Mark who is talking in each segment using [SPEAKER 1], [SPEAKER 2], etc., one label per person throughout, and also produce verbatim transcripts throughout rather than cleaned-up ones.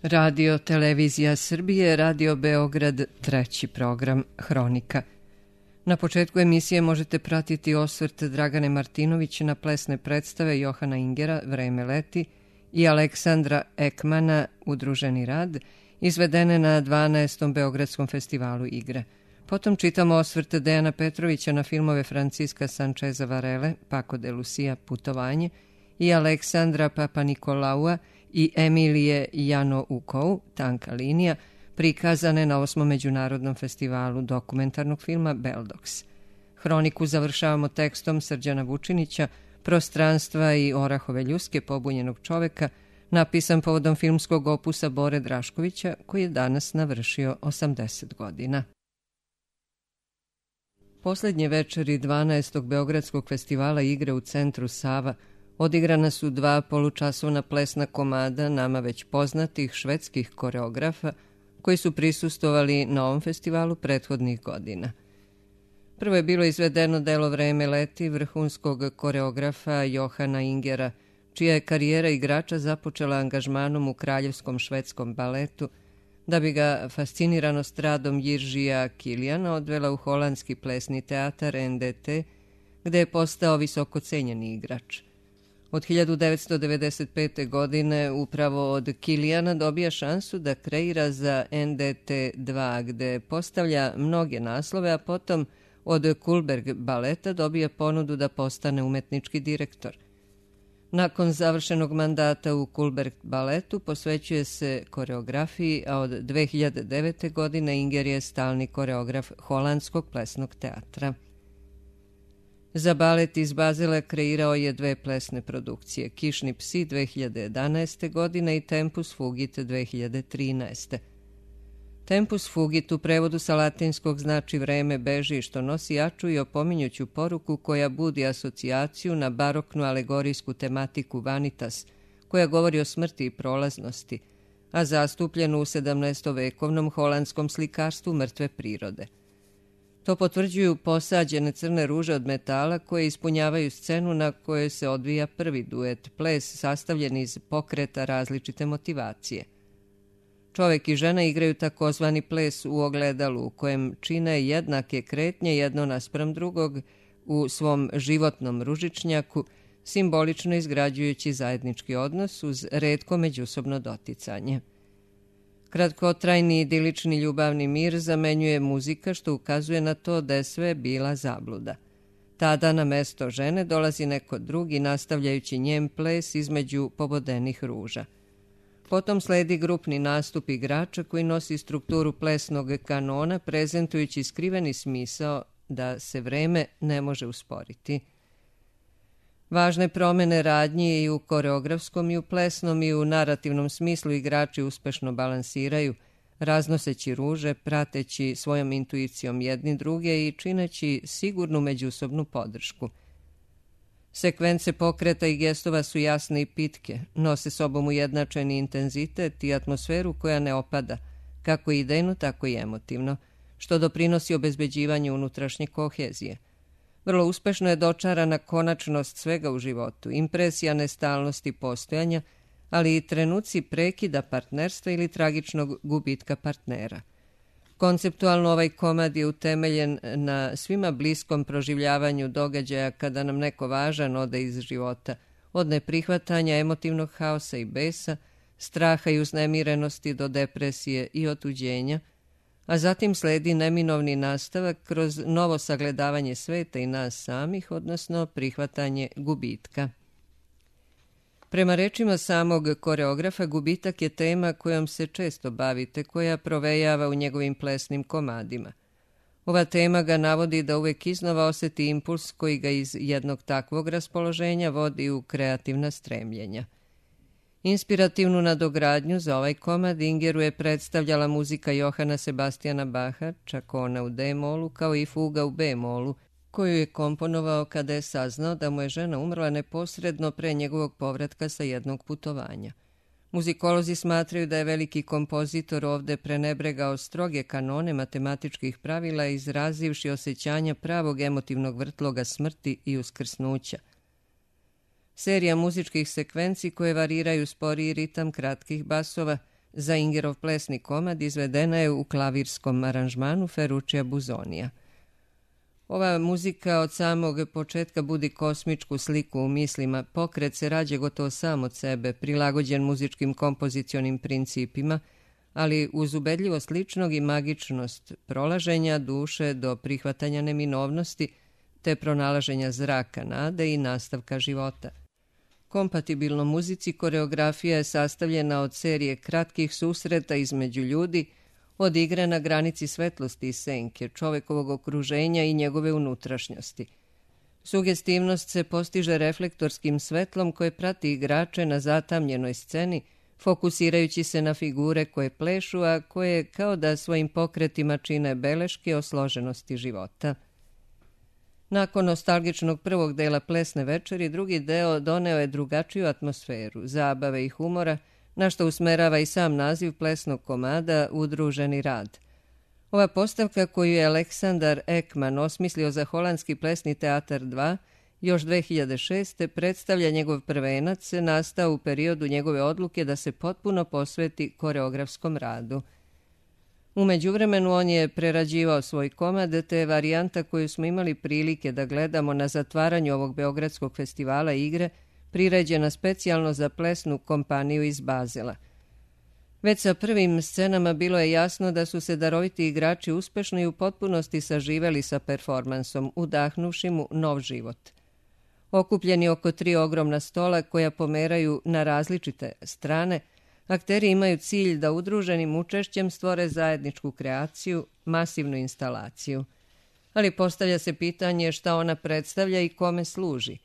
[SPEAKER 1] Radio Televizija Srbije, Radio Beograd, treći program Hronika. Na početku emisije možete pratiti osvrt Dragane Martinović na plesne predstave Johana Ingera Vreme leti i Aleksandra Ekmana Udruženi rad, izvedene na dvanaestom Beogradskom festivalu igre. Potom čitamo osvrt Dejana Petrovića na filmove Franciska Sančeza Varele, Paco de Lucia, Putovanje, i Aleksandra Papanikolaua i Emilije Janoukou, Tanka linija, prikazane na osmom Međunarodnom festivalu dokumentarnog filma Beldox. Hroniku završavamo tekstom Srđana Vučinića, Prostranstva i Orahove ljuske pobunjenog čoveka, napisan povodom filmskog opusa Bore Draškovića, koji je danas navršio osamdeset godina. Poslednje večeri dvanaestog Beogradskog festivala igre u centru Sava odigrana su dva polučasovna plesna komada nama već poznatih švedskih koreografa koji su prisustvovali na ovom festivalu prethodnih godina. Prvo je bilo izvedeno delo Vreme leti vrhunskog koreografa Johana Ingera, čija je karijera igrača započela angažmanom u kraljevskom švedskom baletu, da bi ga fasciniranost radom Jiržija Kilijana odvela u holandski plesni teatar N D T, gde je postao visoko cenjeni igrač. Od hiljadu devetsto devedeset pete. godine upravo od Kilijana dobija šansu da kreira za N D T dva, gde postavlja mnoge naslove, a potom od Kullberg baleta dobija ponudu da postane umetnički direktor. Nakon završenog mandata u Kullberg baletu posvećuje se koreografiji, a od dve hiljade devete. godine Inger je stalni koreograf Holandskog plesnog teatra. Za balet iz Bazela kreirao je dve plesne produkcije, Kišni psi dve hiljade jedanaeste. godine i Tempus fugit dve hiljade trinaeste. Tempus fugit u prevodu sa latinskog znači vreme beži, što nosi jaču i opominjuću poruku koja budi asocijaciju na baroknu alegorijsku tematiku Vanitas, koja govori o smrti i prolaznosti, a zastupljenu u sedamnaestovekovnom holandskom slikarstvu mrtve prirode. To potvrđuju posađene crne ruže od metala koje ispunjavaju scenu na kojoj se odvija prvi duet, ples sastavljen iz pokreta različite motivacije. Čovek i žena igraju takozvani ples u ogledalu, u kojem čine jednake kretnje jedno naspram drugog u svom životnom ružičnjaku, simbolično izgrađujući zajednički odnos uz retko međusobno doticanje. Kratkotrajni idilični ljubavni mir zamenjuje muzika, što ukazuje na to da je sve bila zabluda. Tada na mesto žene dolazi neko drugi, nastavljajući njen ples između pobodenih ruža. Potom sledi grupni nastup igrača koji nosi strukturu plesnog kanona, prezentujući skriveni smisao da se vreme ne može usporiti. Važne promene radnji i u koreografskom i u plesnom i u narativnom smislu igrači uspešno balansiraju, raznoseći ruže, prateći svojom intuicijom jedni druge i čineći sigurnu međusobnu podršku. Sekvence pokreta i gestova su jasne i pitke, nose sobom ujednačeni intenzitet i atmosferu koja ne opada, kako idejno, tako i emotivno, što doprinosi obezbeđivanju unutrašnje kohezije. Vrlo uspešno je dočarana konačnost svega u životu, impresija nestalnosti postojanja, ali i trenuci prekida partnerstva ili tragičnog gubitka partnera. Konceptualno ovaj komad je utemeljen na svima bliskom proživljavanju događaja kada nam neko važan ode iz života, od neprihvatanja, emotivnog haosa i besa, straha i uznemirenosti do depresije i otuđenja, a zatim sledi neminovni nastavak kroz novo sagledavanje sveta i nas samih, odnosno prihvatanje gubitka. Prema rečima samog koreografa, gubitak je tema kojom se često bavite, koja provejava u njegovim plesnim komadima. Ova tema ga navodi da uvek iznova oseti impuls koji ga iz jednog takvog raspoloženja vodi u kreativna stremljenja. Inspirativnu nadogradnju za ovaj komad Ingeru je predstavljala muzika Johana Sebastijana Baha, čak ona u D-molu, kao i fuga u B-molu, koju je komponovao kada je saznao da mu je žena umrla neposredno pre njegovog povratka sa jednog putovanja. Muzikolozi smatraju da je veliki kompozitor ovde prenebregao stroge kanone matematičkih pravila, izrazivši osjećanja pravog emotivnog vrtloga smrti i uskrsnuća. Serija muzičkih sekvenci koje variraju sporiji ritam kratkih basova Za Ingerov plesni komad izvedena je u klavirskom aranžmanu Ferruccia Busonija. Ova muzika od samog početka budi kosmičku sliku u mislima, pokret se rađe gotovo sam od sebe, prilagođen muzičkim kompozicionim principima, ali uz ubedljivost ličnog i magičnost prolaženja duše do prihvatanja neminovnosti, te pronalaženja zraka nade i nastavka života. Kompatibilno muzici koreografija je sastavljena od serije kratkih susreta između ljudi, od igre na granici svetlosti i senke, čovekovog okruženja i njegove unutrašnjosti. Sugestivnost se postiže reflektorskim svetlom koje prati igrače na zatamljenoj sceni, fokusirajući se na figure koje plešu, a koje kao da svojim pokretima čine beleške o složenosti života. Nakon nostalgičnog prvog dela plesne večeri, drugi deo doneo je drugačiju atmosferu, zabave i humora, na što usmerava i sam naziv plesnog komada Udruženi rad. Ova postavka koju je Aleksandar Ekman osmislio za Holandski plesni teatar dva još dve hiljade šeste. predstavlja njegov prvenac, nastao u periodu njegove odluke da se potpuno posveti koreografskom radu. U međuvremenu on je prerađivao svoj komad, te varijanta koju smo imali prilike da gledamo na zatvaranju ovog Beogradskog festivala igre, priređena specijalno za plesnu kompaniju iz Bazela. Već sa prvim scenama bilo je jasno da su se daroviti igrači uspešno i u potpunosti saživeli sa performansom, udahnuvši mu nov život. Okupljeni oko tri ogromna stola koja pomeraju na različite strane, akteri imaju cilj da udruženim učešćem stvore zajedničku kreaciju, masivnu instalaciju. Ali postavlja se pitanje šta ona predstavlja i kome služi.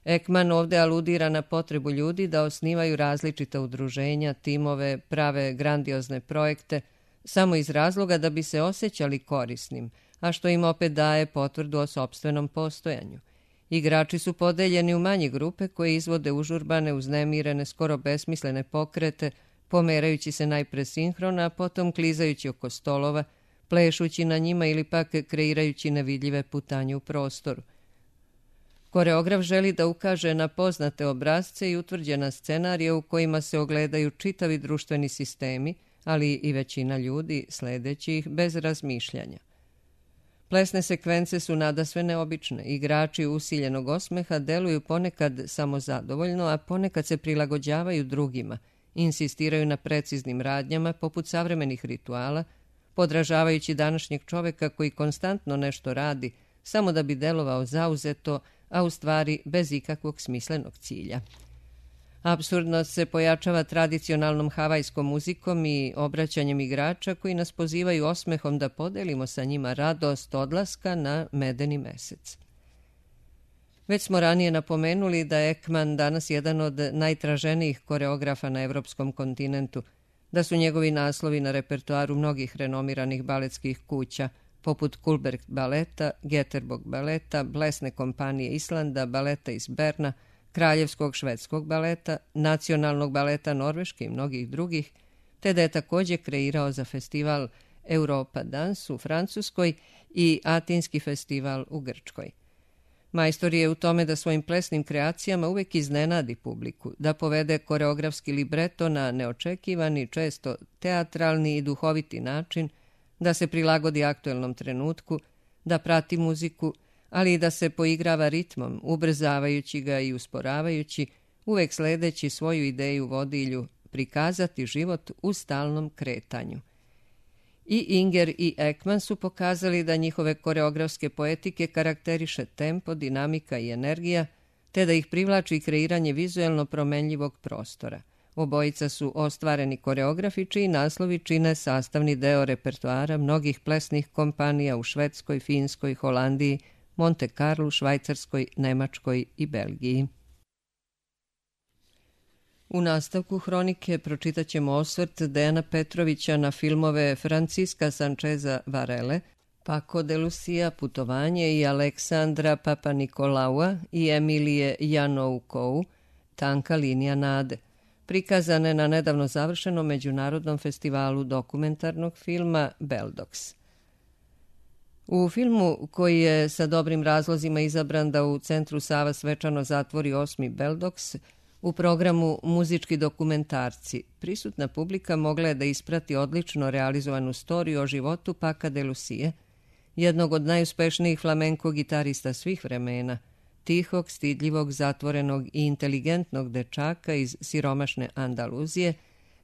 [SPEAKER 1] Ekman ovde aludira na potrebu ljudi da osnivaju različita udruženja, timove, prave grandiozne projekte, samo iz razloga da bi se osjećali korisnim, a što im opet daje potvrdu o sopstvenom postojanju. Igrači su podeljeni u manje grupe koje izvode užurbane, uznemirene, skoro besmislene pokrete, pomerajući se najpre sinhrona, a potom klizajući oko stolova, plešući na njima ili pak kreirajući nevidljive putanje u prostoru. Koreograf želi da ukaže na poznate obrazce i utvrđena scenarija u kojima se ogledaju čitavi društveni sistemi, ali i većina ljudi sledeći ih bez razmišljanja. Plesne sekvence su nadasve neobične. Igrači usiljenog osmeha deluju ponekad samozadovoljno, a ponekad se prilagođavaju drugima, insistiraju na preciznim radnjama poput savremenih rituala, podražavajući današnjeg čoveka koji konstantno nešto radi, samo da bi delovao zauzeto, a u stvari bez ikakvog smislenog cilja. Apsurdnost se pojačava tradicionalnom havajskom muzikom i obraćanjem igrača koji nas pozivaju osmehom da podelimo sa njima radost odlaska na medeni mesec. Već smo ranije napomenuli da je Ekman danas jedan od najtraženijih koreografa na evropskom kontinentu, da su njegovi naslovi na repertoaru mnogih renomiranih baletskih kuća, poput Kullberg baleta, Göteborg baleta, Plesne kompanije Islanda, baleta iz Berna, Kraljevskog švedskog baleta, Nacionalnog baleta Norveške i mnogih drugih, te da je također kreirao za festival Europa Dance u Francuskoj i Atinski festival u Grčkoj. Majstor je u tome da svojim plesnim kreacijama uvek iznenadi publiku, da povede koreografski libreto na neočekivani, često teatralni i duhoviti način, da se prilagodi aktuelnom trenutku, da prati muziku, ali i da se poigrava ritmom, ubrzavajući ga i usporavajući, uvek sledeći svoju ideju vodilju, prikazati život u stalnom kretanju. I Inger i Ekman su pokazali da njihove koreografske poetike karakteriše tempo, dinamika i energija, te da ih privlači kreiranje vizuelno promenljivog prostora. Obojica su ostvareni koreografi čiji naslovi čine sastavni deo repertoara mnogih plesnih kompanija u Švedskoj, Finskoj, Holandiji, Monte Carlu, Švajcarskoj, Nemačkoj i Belgiji. U nastavku hronike pročitat ćemo osvrt Dejana Petrovića na filmove Francisca Sancheza Varele, Paco de Lucia Putovanje i Aleksandra Papanikolaua i Emilije Janoukou Tanka linija nade, prikazane na nedavno završenom međunarodnom festivalu dokumentarnog filma Beldox. U filmu, koji je sa dobrim razlozima izabran da u centru Sava svečano zatvori osmi Beldox, U programu Muzički dokumentarci prisutna publika mogla je da isprati odlično realizovanu storiju o životu Paca de Lucie, jednog od najuspešnijih flamenko gitarista svih vremena, tihog, stidljivog, zatvorenog i inteligentnog dečaka iz siromašne Andaluzije,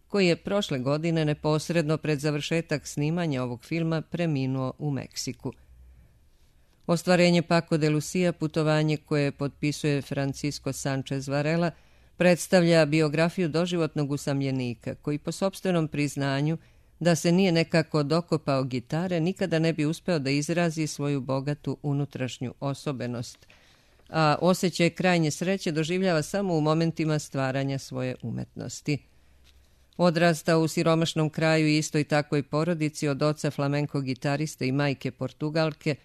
[SPEAKER 1] koji je prošle godine neposredno pred završetak snimanja ovog filma preminuo u Meksiku. Ostvarenje Paco de Lucia, putovanje koje potpisuje Francisco Sanchez Varela, predstavlja biografiju doživotnog usamljenika koji po sopstvenom priznanju da se nije nekako dokopao gitare nikada ne bi uspeo da izrazi svoju bogatu unutrašnju osobenost, a osjećaj krajnje sreće doživljava samo u momentima stvaranja svoje umetnosti. Odrastao u siromašnom kraju i istoj takvoj porodici od oca flamenko gitariste i majke Portugalke,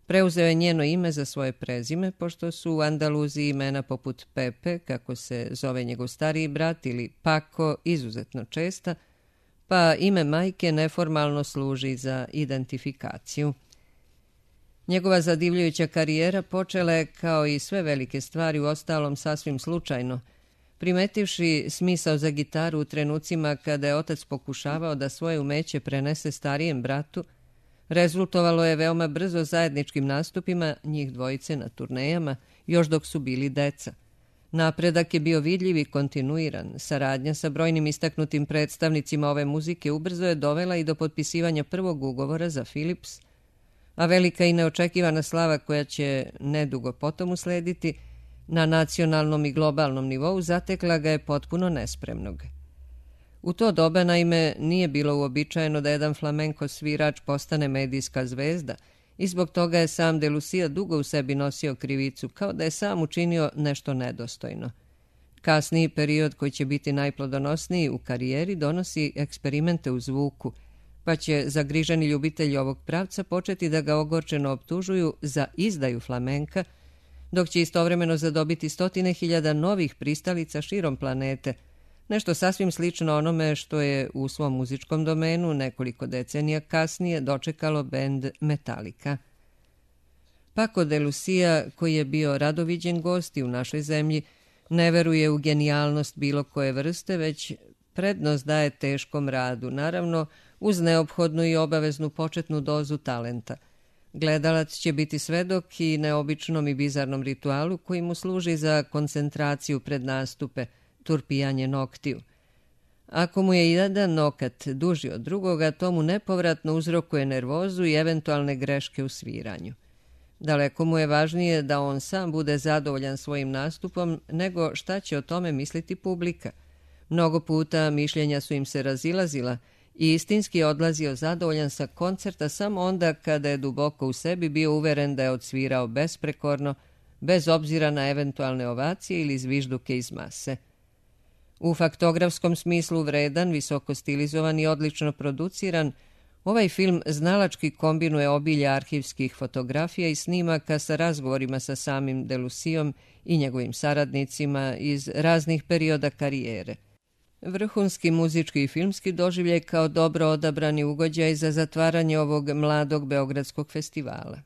[SPEAKER 1] preuzeo je njeno ime za svoje prezime, pošto su u Andaluziji imena poput Pepe, kako se zove njegov stariji brat, ili Paco izuzetno česta, pa ime majke neformalno služi za identifikaciju. Njegova zadivljujuća karijera počela je, kao i sve velike stvari, u ostalom sasvim slučajno, primetivši smisao za gitaru u trenucima kada je otac pokušavao da svoje umeće prenese starijem bratu. Rezultovalo je veoma brzo zajedničkim nastupima njih dvojice na turnejama, još dok su bili deca. Napredak je bio vidljiv i kontinuiran. Saradnja sa brojnim istaknutim predstavnicima ove muzike ubrzo je dovela i do potpisivanja prvog ugovora za Philips, a velika i neočekivana slava koja će nedugo potom uslediti na nacionalnom i globalnom nivou zatekla ga je potpuno nespremnog. U to doba, naime, nije bilo uobičajeno da jedan flamenko svirač postane medijska zvezda i zbog toga je sam de Lucia dugo u sebi nosio krivicu, kao da je sam učinio nešto nedostojno. Kasniji period, koji će biti najplodonosniji u karijeri, donosi eksperimente u zvuku, pa će zagriženi ljubitelji ovog pravca početi da ga ogorčeno optužuju za izdaju flamenka, dok će istovremeno zadobiti stotine hiljada novih pristalica širom planete, nešto sasvim slično onome što je u svom muzičkom domenu nekoliko decenija kasnije dočekalo bend Metallica. Paco de Lucia, koji je bio radoviđen gost i u našoj zemlji, ne veruje u genijalnost bilo koje vrste, već prednost daje teškom radu, naravno uz neophodnu i obaveznu početnu dozu talenta. Gledalac će biti svedok i neobičnom i bizarnom ritualu koji mu služi za koncentraciju pred nastupe, turpijanje noktiju. Ako mu je jedan nokat duži od drugoga, to mu nepovratno uzrokuje nervozu i eventualne greške u sviranju. Daleko mu je važnije da on sam bude zadovoljan svojim nastupom nego šta će o tome misliti publika. Mnogo puta mišljenja su im se razilazila i istinski je odlazio zadovoljan sa koncerta samo onda kada je duboko u sebi bio uveren da je odsvirao besprekorno, bez obzira na eventualne ovacije ili zvižduke iz mase. U faktografskom smislu vredan, visoko stilizovan i odlično produciran, ovaj film znalački kombinuje obilje arhivskih fotografija i snimaka sa razgovorima sa samim de Lucijom i njegovim saradnicima iz raznih perioda karijere. Vrhunski muzički i filmski doživljaj kao dobro odabrani ugođaj za zatvaranje ovog mladog beogradskog festivala.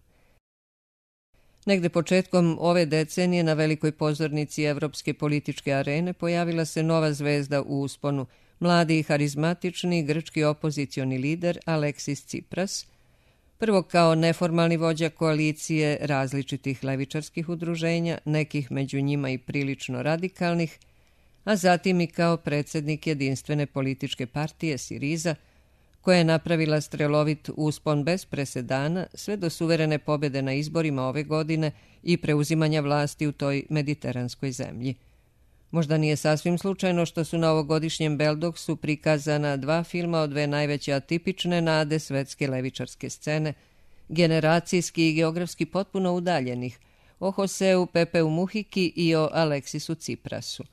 [SPEAKER 1] Negde početkom ove decenije na velikoj pozornici evropske političke arene pojavila se nova zvezda u usponu, mladi i harizmatični grčki opozicioni lider Aleksis Tsipras, prvo kao neformalni vođa koalicije različitih levičarskih udruženja, nekih među njima i prilično radikalnih, a zatim i kao predsjednik jedinstvene političke partije Siriza, koja je napravila strelovit uspon bez presedana sve do suverene pobjede na izborima ove godine i preuzimanja vlasti u toj mediteranskoj zemlji. Možda nije sasvim slučajno što su na ovogodišnjem Beldoksu prikazana dva filma od dve najveće atipične nade svetske levičarske scene, generacijski i geografski potpuno udaljenih, o Joseu Pepeu Muhiki i o Aleksisu Tsiprasu.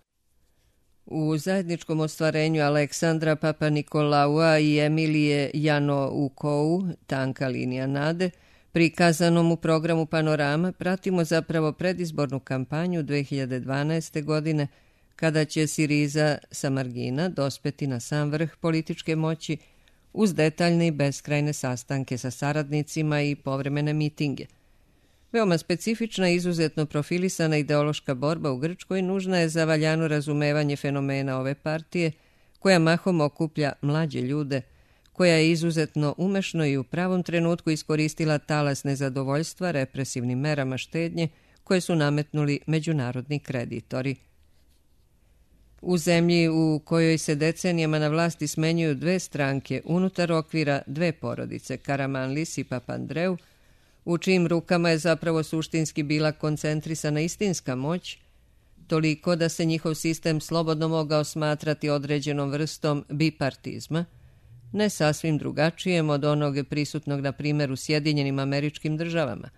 [SPEAKER 1] U zajedničkom ostvarenju Aleksandra Papanikolaua i Emilije Janoukou, Tanka linija nade, prikazanom u programu Panorama, pratimo zapravo predizbornu kampanju dve hiljade dvanaeste. godine, kada će Siriza sa margina dospeti na sam vrh političke moći uz detaljne i beskrajne sastanke sa saradnicima i povremene mitinge. Veoma specifična i izuzetno profilisana ideološka borba u Grčkoj nužna je za valjano razumevanje fenomena ove partije, koja mahom okuplja mlađe ljude, koja je izuzetno umešno i u pravom trenutku iskoristila talas nezadovoljstva represivnim merama štednje koje su nametnuli međunarodni kreditori. U zemlji u kojoj se decenijama na vlasti smenjuju dve stranke unutar okvira dve porodice, Karamanlis i Papandreou, u čijim rukama je zapravo suštinski bila koncentrisana istinska moć, toliko da se njihov sistem slobodno mogao smatrati određenom vrstom bipartizma, ne sasvim drugačijem od onog prisutnog na primjer u Sjedinjenim Američkim Državama.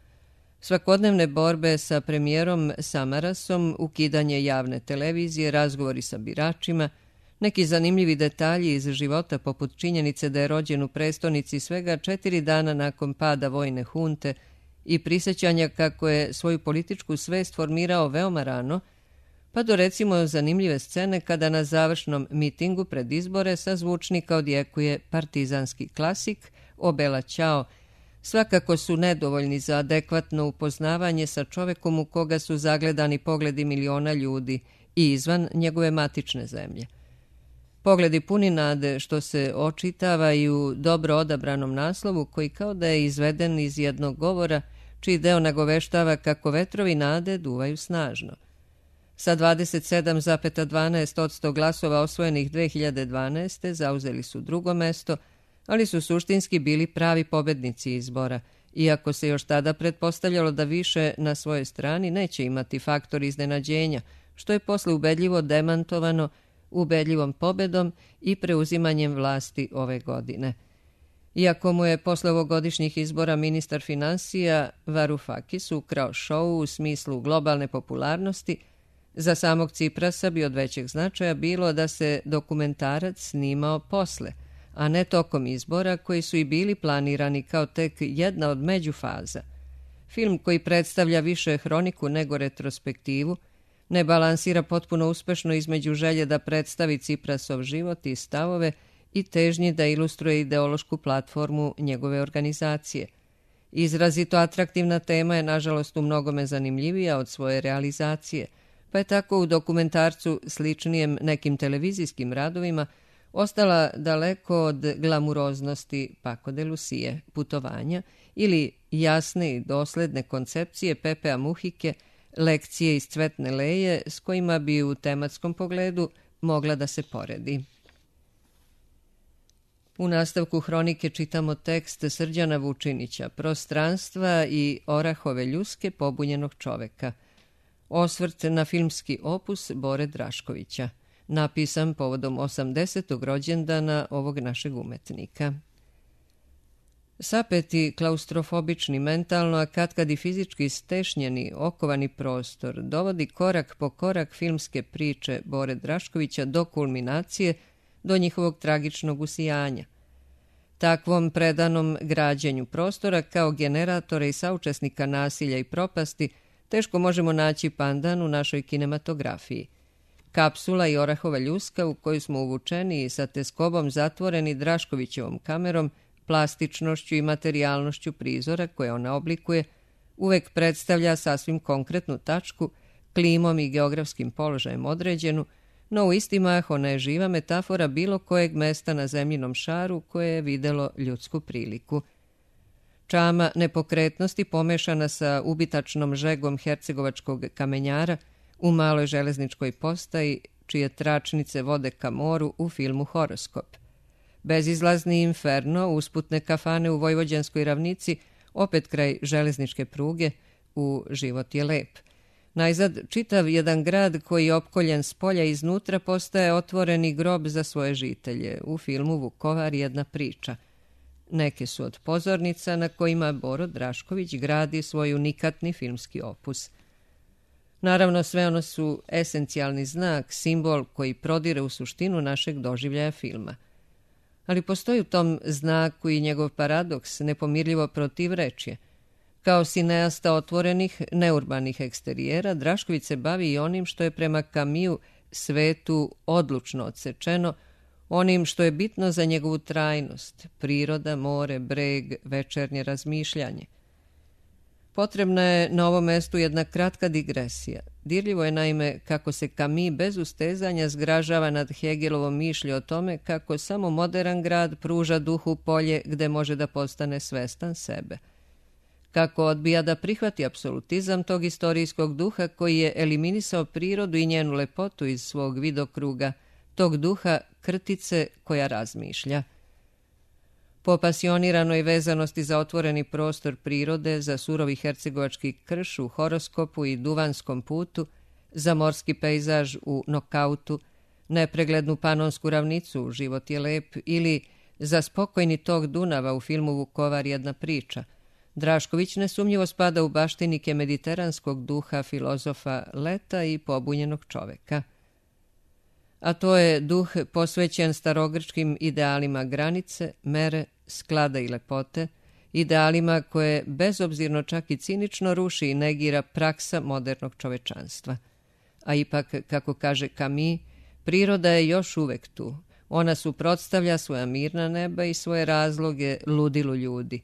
[SPEAKER 1] Svakodnevne borbe sa premijerom Samarasom, ukidanje javne televizije, razgovori sa biračima, neki zanimljivi detalji iz života poput činjenice da je rođen u prestonici svega četiri dana nakon pada vojne hunte i prisjećanja kako je svoju političku svest formirao veoma rano, pa do recimo zanimljive scene kada na završnom mitingu pred izbore sa zvučnika odjekuje partizanski klasik O Bella Ciao, svakako su nedovoljni za adekvatno upoznavanje sa čovekom u koga su zagledani pogledi miliona ljudi i izvan njegove matične zemlje. Pogledi puni nade što se očitava i u dobro odabranom naslovu koji kao da je izveden iz jednog govora čiji deo nagoveštava kako vetrovi nade duvaju snažno. Sa dvadeset sedam zarez dvanaest posto glasova osvojenih dve hiljade dvanaeste. zauzeli su drugo mesto, ali su suštinski bili pravi pobednici izbora, iako se još tada pretpostavljalo da više na svojoj strani neće imati faktor iznenađenja, što je posle ubedljivo demantovano ubedljivom pobedom i preuzimanjem vlasti ove godine. Iako mu je posle ovogodišnjih izbora ministar finansija Varoufakis ukrao šou u smislu globalne popularnosti, za samog Ciprasa bi od većeg značaja bilo da se dokumentarac snimao posle, a ne tokom izbora koji su i bili planirani kao tek jedna od međufaza. Film koji predstavlja više hroniku nego retrospektivu, ne balansira potpuno uspešno između želje da predstavi Ciprasov život i stavove i težnji da ilustruje ideološku platformu njegove organizacije. Izrazito atraktivna tema je nažalost u mnogome zanimljivija od svoje realizacije, pa je tako u dokumentarcu sličnijem nekim televizijskim radovima ostala daleko od glamuroznosti Paco de Lucie, putovanja ili jasne i dosledne koncepcije Pepea Muhike, lekcije iz Cvetne leje s kojima bi u tematskom pogledu mogla da se poredi. U nastavku hronike čitamo tekst Srđana Vučinića, Prostranstva i Orahove ljuske pobunjenog čoveka. Osvrt na filmski opus Bore Draškovića, napisan povodom osamdesetog rođendana ovog našeg umetnika. Sapeti, klaustrofobični, mentalno, a katkad i fizički stešnjeni, okovani prostor dovodi korak po korak filmske priče Bore Draškovića do kulminacije, do njihovog tragičnog usijanja. Takvom predanom građenju prostora kao generatora i saučesnika nasilja i propasti teško možemo naći pandan u našoj kinematografiji. Kapsula i Orahova ljuska u koju smo uvučeni i sa teskobom zatvoreni Draškovićevom kamerom, plastičnošću i materijalnošću prizora koje ona oblikuje, uvek predstavlja sasvim konkretnu tačku, klimom i geografskim položajem određenu, no u isti mah ona je živa metafora bilo kojeg mesta na zemljinom šaru koje je videlo ljudsku priliku. Čama nepokretnosti pomešana sa ubitačnom žegom hercegovačkog kamenjara u maloj železničkoj postaji čije tračnice vode ka moru u filmu Horoskop. Bezizlazni inferno, usputne kafane u Vojvođanskoj ravnici, opet kraj železničke pruge, u Život je lep. Najzad, čitav jedan grad koji je opkoljen s polja iznutra postaje otvoreni grob za svoje žitelje. U filmu Vukovar jedna priča. Neke su od pozornica na kojima Boro Drašković gradi svoj unikatni filmski opus. Naravno, sve ono su esencijalni znak, simbol koji prodire u suštinu našeg doživljaja filma. Ali postoji u tom znaku i njegov paradoks, nepomirljivo protivrečje. Kao sineasta otvorenih, neurbanih eksterijera, Drašković se bavi i onim što je prema Kamiju svetu odlučno odsečeno, onim što je bitno za njegovu trajnost, priroda, more, breg, večernje razmišljanje. Potrebna je na ovom mestu jedna kratka digresija. Dirljivo je naime kako se Camus bez ustezanja zgražava nad Hegelovom mišlju o tome kako samo modern grad pruža duhu polje gde može da postane svestan sebe. Kako odbija da prihvati apsolutizam tog istorijskog duha koji je eliminisao prirodu i njenu lepotu iz svog vidokruga, tog duha krtice koja razmišlja. Po pasioniranoj vezanosti za otvoreni prostor prirode, za surovi hercegovački krš u Horoskopu i Duvanskom putu, za morski pejzaž u Nokautu, nepreglednu panonsku ravnicu Život je lep ili za spokojni tok Dunava u filmu Vukovar jedna priča, Drašković nesumnjivo spada u baštinike mediteranskog duha filozofa Leta i pobunjenog čoveka. A to je duh posvećen starogrčkim idealima granice, mere, sklada i lepote, idealima koje bezobzirno čak i cinično ruši i negira praksa modernog čovečanstva. A ipak, kako kaže Camus, priroda je još uvek tu. Ona suprotstavlja svoja mirna neba i svoje razloge ludilu ljudi.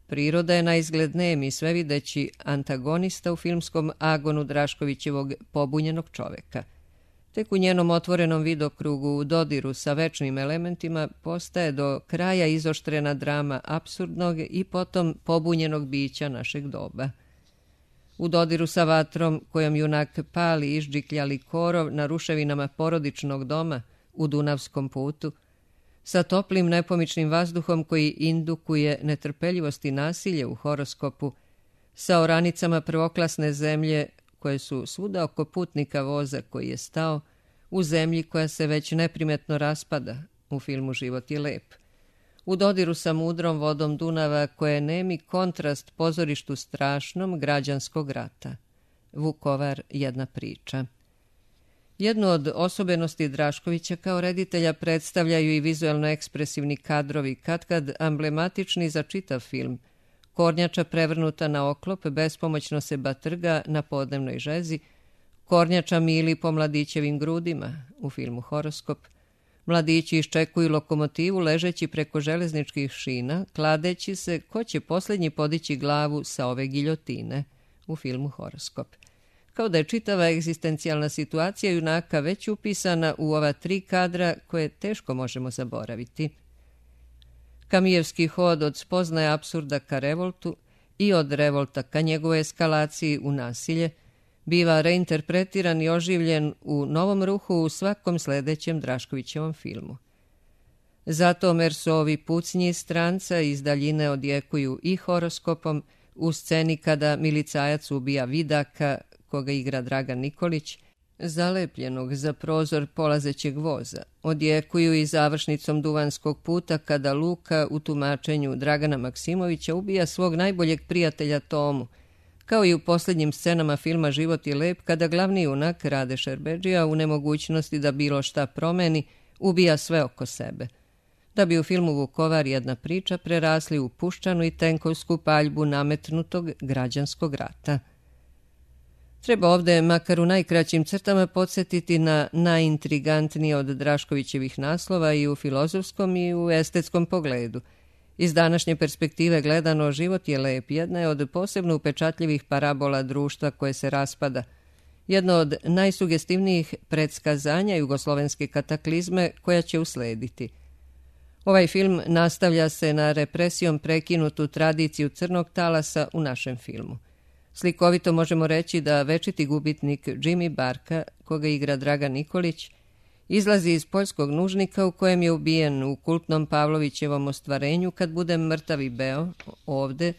[SPEAKER 1] Priroda je naizgled nem i svevideći antagonista u filmskom agonu Draškovićevog pobunjenog čoveka. Tek u njenom otvorenom vidokrugu u dodiru sa večnim elementima postaje do kraja izoštrena drama apsurdnog i potom pobunjenog bića našeg doba. U dodiru sa vatrom kojom junak pali išđikljali korov na ruševinama porodičnog doma u Dunavskom putu, sa toplim nepomičnim vazduhom koji indukuje netrpeljivost i nasilje u Horoskopu, sa oranicama prvoklasne zemlje koje su svuda oko putnika voza koji je stao, u zemlji koja se već neprimetno raspada u filmu Život je lep. U dodiru sa mudrom vodom Dunava koja je nemi kontrast pozorištu strašnom građanskog rata. Vukovar jedna priča. Jednu od osobenosti Draškovića kao reditelja predstavljaju i vizuelno ekspresivni kadrovi, katkad amblematični za čitav film. Kornjača prevrnuta na oklop bespomoćno se batrga na podnevnoj žezi, kornjača mili po mladićevim grudima u filmu Horoskop, mladići iščekuju lokomotivu ležeći preko železničkih šina, kladeći se ko će posljednji podići glavu sa ove giljotine u filmu Horoskop. Kao da je čitava egzistencijalna situacija junaka već upisana u ova tri kadra koje teško možemo zaboraviti. Kamijevski hod od spoznaje apsurda ka revoltu i od revolta ka njegovoj eskalaciji u nasilje biva reinterpretiran i oživljen u novom ruhu u svakom sledećem Draškovićevom filmu. Zato Mersovi pucnji stranca iz daljine odjekuju i Horoskopom u sceni kada milicajac ubija Vidaka, koga igra Dragan Nikolić, zalepljenog za prozor polazećeg voza. Odjekuju i završnicom Duvanskog puta kada Luka u tumačenju Dragana Maksimovića ubija svog najboljeg prijatelja Tomu, kao i u posljednjim scenama filma Život je lep kada glavni junak Rade Šerbedžija u nemogućnosti da bilo šta promeni ubija sve oko sebe. Da bi u filmu Vukovar jedna priča prerasli u puščanu i tenkovsku paljbu nametnutog građanskog rata. Treba ovde, makar u najkraćim crtama, podsjetiti na najintrigantnije od Draškovićevih naslova i u filozofskom i u estetskom pogledu. Iz današnje perspektive gledano, Život je lep jedna je od posebno upečatljivih parabola društva koje se raspada, jedno od najsugestivnijih predskazanja jugoslovenske kataklizme koja će uslediti. Ovaj film nastavlja se na represijom prekinutu tradiciju crnog talasa u našem filmu. Slikovito možemo reći da večiti gubitnik Jimmy Barka, koga igra Dragan Nikolić, izlazi iz poljskog nužnika u kojem je ubijen u kultnom Pavlovićevom ostvarenju kad bude mrtav i beo, ovde,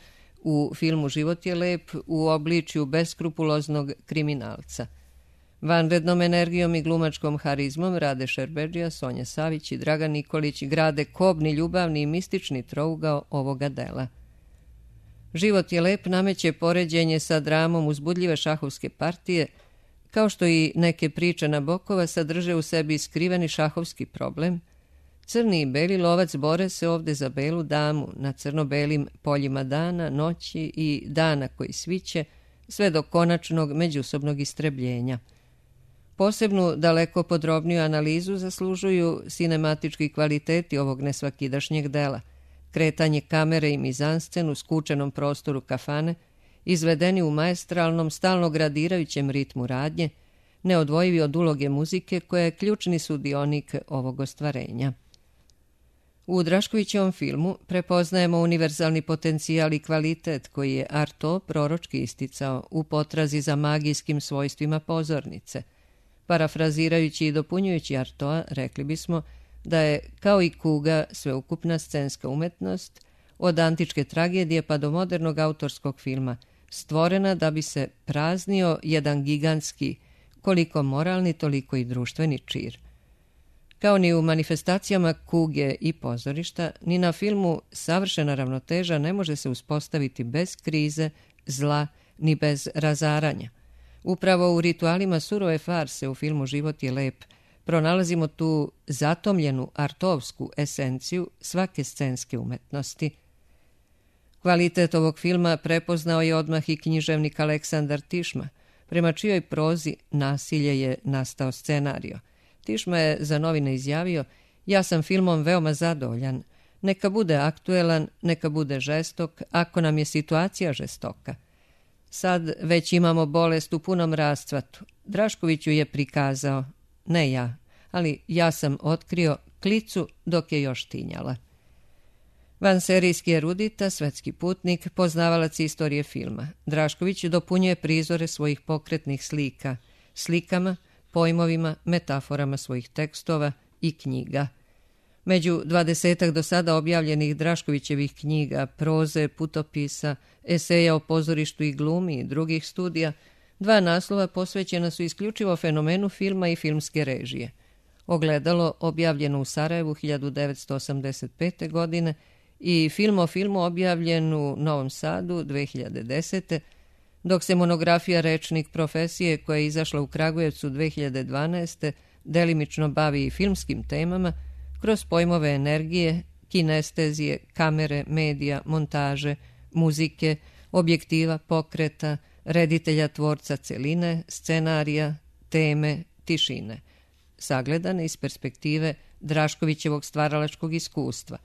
[SPEAKER 1] u filmu Život je lep, u obličju beskrupuloznog kriminalca. Vanrednom energijom i glumačkom harizmom Rade Šerbedžija, Sonja Savić i Dragan Nikolić grade kobni, ljubavni i mistični trougao ovoga dela. Život je lep nameće poređenje sa dramom uzbudljive šahovske partije, kao što i neke priče Nabokova sadrže u sebi skriveni šahovski problem. Crni i beli lovac bore se ovde za belu damu na crno-belim poljima dana, noći i dana koji sviće, sve do konačnog međusobnog istrebljenja. Posebnu, daleko podrobniju analizu zaslužuju sinematički kvaliteti ovog nesvakidašnjeg dela, kretanje kamere i mizanscen u skučenom prostoru kafane izvedeni u maestralnom, stalno gradirajućem ritmu radnje, neodvojivi od uloge muzike koja je ključni sudionik ovog ostvarenja. U Draškovićevom filmu prepoznajemo univerzalni potencijal i kvalitet koji je Artaud proročki isticao u potrazi za magijskim svojstvima pozornice. Parafrazirajući i dopunjujući Artaуда, rekli bismo da je, kao i kuga, sveukupna scenska umetnost, od antičke tragedije pa do modernog autorskog filma, stvorena da bi se praznio jedan gigantski, koliko moralni, toliko i društveni čir. Kao ni u manifestacijama kuge i pozorišta, ni na filmu savršena ravnoteža ne može se uspostaviti bez krize, zla, ni bez razaranja. Upravo u ritualima surove farse u filmu Život je lep pronalazimo tu zatomljenu artovsku esenciju svake scenske umetnosti. Kvalitet ovog filma prepoznao je odmah i književnik Aleksandar Tišma, prema čijoj prozi Nasilje je nastao scenario. Tišma je za novine izjavio: ja sam filmom veoma zadovoljan. Neka bude aktuelan, neka bude žestok, ako nam je situacija žestoka. Sad već imamo bolest u punom rascvatu. Draškoviću je prikazao, ne ja, ali ja sam otkrio klicu dok je još tinjala. Vanserijski erudita, svetski putnik, poznavalac istorije filma, Drašković dopunjuje prizore svojih pokretnih slika, slikama, pojmovima, metaforama svojih tekstova i knjiga. Među dvadesetak do sada objavljenih Draškovićevih knjiga, proze, putopisa, eseja o pozorištu i glumi i drugih studija, dva naslova posvećena su isključivo fenomenu filma i filmske režije. Ogledalo, objavljeno u Sarajevu hiljadu devetsto osamdeset pete. godine, i Film o filmu, objavljen u Novom Sadu dve hiljade desete. dok se monografija Rečnik profesije, koja je izašla u Kragujevcu dve hiljade dvanaeste. delimično bavi i filmskim temama, kroz pojmove energije, kinestezije, kamere, medija, montaže, muzike, objektiva, pokreta, reditelja, tvorca celine, scenarija, teme, tišine, sagledane iz perspektive Draškovićevog stvaralačkog iskustva.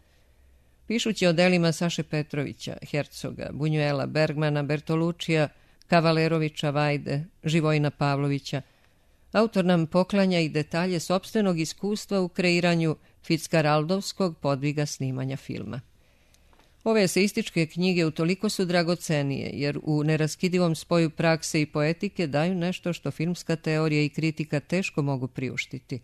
[SPEAKER 1] Pišući o delima Saše Petrovića, Hercoga, Bunjuela, Bergmana, Bertolučija, Kavalerovića, Vajde, Živojina Pavlovića, autor nam poklanja i detalje sopstvenog iskustva u kreiranju Fickaraldovskog podviga snimanja filma. Ove eseističke knjige utoliko su dragocenije, jer u neraskidivom spoju prakse i poetike daju nešto što filmska teorija i kritika teško mogu priuštiti.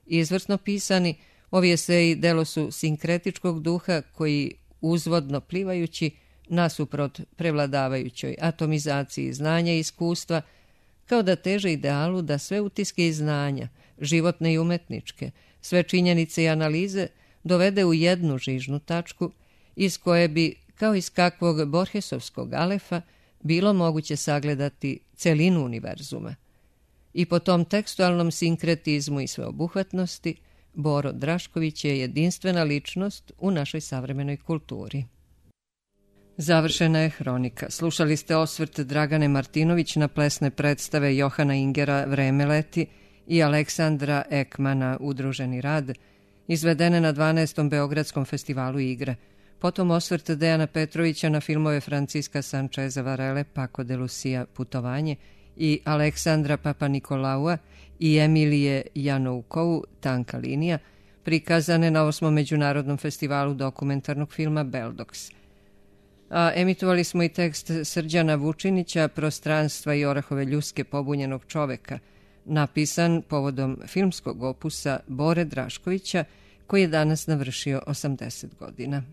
[SPEAKER 1] Izvrsno pisani, ovi eseji delo su sinkretičkog duha koji, uzvodno plivajući, nasuprot prevladavajućoj atomizaciji znanja i iskustva, kao da teže idealu da sve utiske i znanja, životne i umetničke, sve činjenice i analize dovede u jednu žižnu tačku, iz koje bi, kao iz kakvog Borgesovskog alefa, bilo moguće sagledati celinu univerzuma. I po tom tekstualnom sinkretizmu i sveobuhvatnosti, Boro Drašković je jedinstvena ličnost u našoj savremenoj kulturi. Završena je hronika. Slušali ste osvrt Dragane Martinović na plesne predstave Johana Ingera Vreme leti i Aleksandra Ekmana Udruženi rad, izvedene na dvanaestom Beogradskom festivalu igre. Potom osvrt Dejana Petrovića na filmove Franciska Sančeza Varele, Paco de Lucia, Putovanje, i Aleksandra Papanikolaua i Emilije Janoukovu, Tanka linija, prikazane na osmom Međunarodnom festivalu dokumentarnog filma Beldox. A emitovali smo i tekst Srđana Vučinića, Prostranstva i orahove ljuske pobunjenog čoveka, napisan povodom filmskog opusa Bore Draškovića, koji je danas navršio osamdeset godina.